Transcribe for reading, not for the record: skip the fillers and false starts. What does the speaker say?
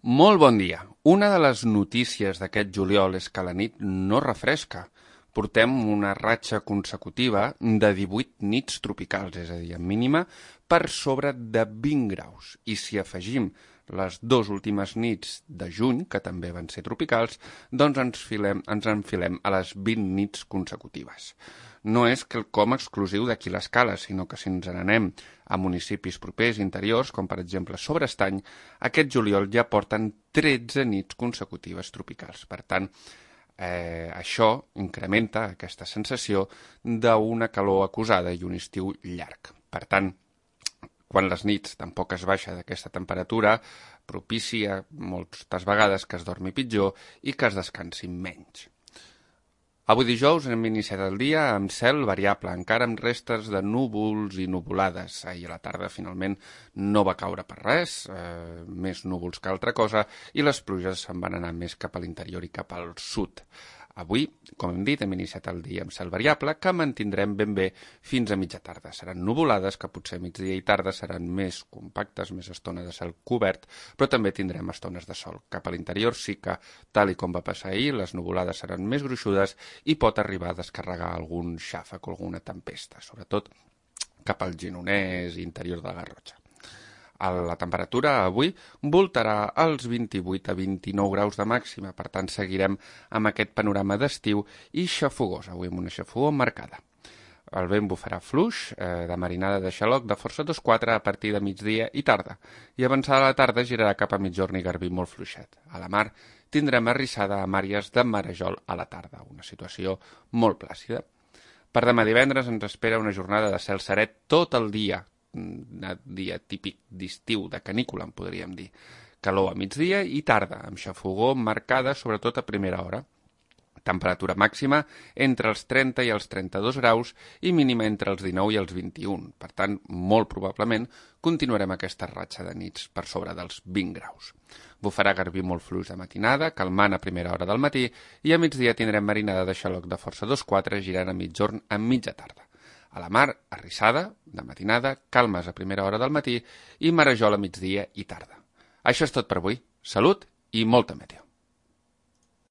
Molt bon dia. Una de les notícies d'aquest juliol és que la nit no refresca. Portem una ratxa consecutiva de 18 nits tropicals, és a dir, en mínima, per sobre de 20 graus. I si afegim les dues últimes nits de juny, que també van ser tropicals, doncs ens enfilem a les 20 nits consecutives. No és quelcom exclusiu d'aquí l'Escala, sinó que si ens n'anem a municipis propers interiors, com per exemple Sobrestany, aquest juliol ja porten 13 nits consecutives tropicals. Per tant, això incrementa aquesta sensació d'una calor acusada i un estiu llarg. Per tant, quan les nits tampoc es baixa d'aquesta temperatura, propicia moltes vegades que es dormi pitjor i que es descansi menys. Avui dijous hem iniciat el dia amb cel variable, encara amb restes de núvols i nuvolades. Ahir a la tarda finalment no va caure per res, més núvols que altra cosa, i les pluges se'n van anar més cap a l'interior i cap al sud. Avui, com hem dit, hem iniciat el dia amb cel variable, que mantindrem ben bé fins a mitja tarda. Seran nuvolades, que potser migdia i tarda seran més compactes, més estona de cel cobert, però també tindrem estones de sol. Cap a l'interior sí que, tal i com va passar ahir, les nuvolades seran més gruixudes i pot arribar a descarregar algun xàfec o alguna tempesta, sobretot cap al Gironès i interior de la Garrotxa. La temperatura avui voltarà als 28 a 29 graus de màxima, per tant seguirem amb aquest panorama d'estiu i xafogós, avui amb una xafogor marcada. El vent bufarà fluix, de marinada de xaloc de força 2-4 a partir de migdia i tarda, i avançada la tarda girarà cap a migjorn i garbí molt fluixet. A la mar tindrem arrissada amb àrees de marejol a la tarda, una situació molt plàcida. Per demà divendres ens espera una jornada de cel seret tot el dia, un dia típic d'estiu, de canícula, en podríem dir. Calor a migdia i tarda, amb xafogor marcada sobretot a primera hora. Temperatura màxima entre els 30 i els 32 graus i mínima entre els 19 i els 21. Per tant, molt probablement continuarem aquesta ratxa de nits per sobre dels 20 graus. Bufarà garbí molt fluix de matinada, calmant a primera hora del matí, i a migdia tindrem marinada de xaloc de força 2-4 girant a migjorn a mitja tarda. A la mar, arrissada, de matinada, calmes a primera hora del matí i marejol a migdia i tarda. Això és tot per avui. Salut i molta meteo.